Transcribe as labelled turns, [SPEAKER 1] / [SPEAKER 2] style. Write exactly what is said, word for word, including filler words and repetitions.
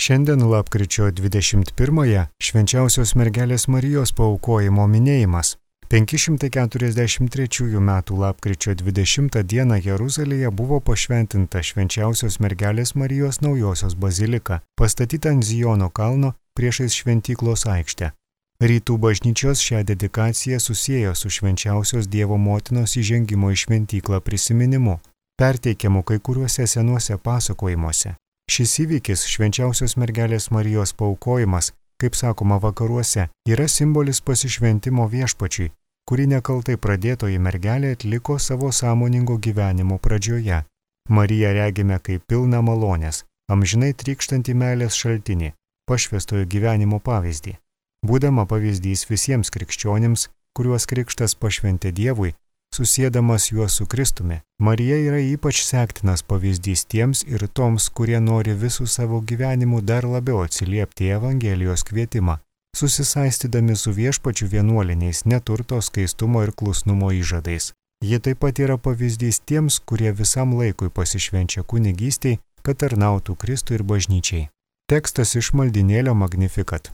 [SPEAKER 1] Šiandien lapkričio dvidešimt pirmąją švenčiausios mergelės Marijos paaukojimo minėjimas. penki šimtai keturiasdešimt trečiųjų metų lapkričio dvidešimtą dieną Jeruzalėje buvo pašventinta švenčiausios mergelės Marijos naujosios bazilika, pastatyta ant Zijono kalno priešais šventyklos aikštę. Rytų bažnyčios šią dedikaciją susiejo su švenčiausios Dievo motinos įžengimo į šventyklą prisiminimu, perteikiamu kai kuriuose senuose pasakojimuose. Šis įvykis, švenčiausios mergelės Marijos paaukojimas, kaip sakoma vakaruose, yra simbolis pasišventimo viešpačiui, kurį nekaltai pradėtoji mergelė atliko savo sąmoningo gyvenimo pradžioje. Mariją regime kaip pilną malonės, amžinai trykštantį meilės šaltinį, pašvęstojo gyvenimo pavyzdį. Būdama pavyzdys visiems krikščionims, kuriuos krikštas pašventė Dievui, susiedamas juos su Kristumi, Marija yra ypač sektinas pavyzdys tiems ir toms, kurie nori visų savo gyvenimų dar labiau atsiliepti Evangelijos kvietimą, susisaistydami su viešpačiu vienuoliniais neturto, skaistumo ir klusnumo įžadais. Ji taip pat yra pavyzdys tiems, kurie visam laikui pasišvenčia kunigystiai, kad tarnautų Kristui ir bažnyčiai. Tekstas iš maldynėlio Magnificat.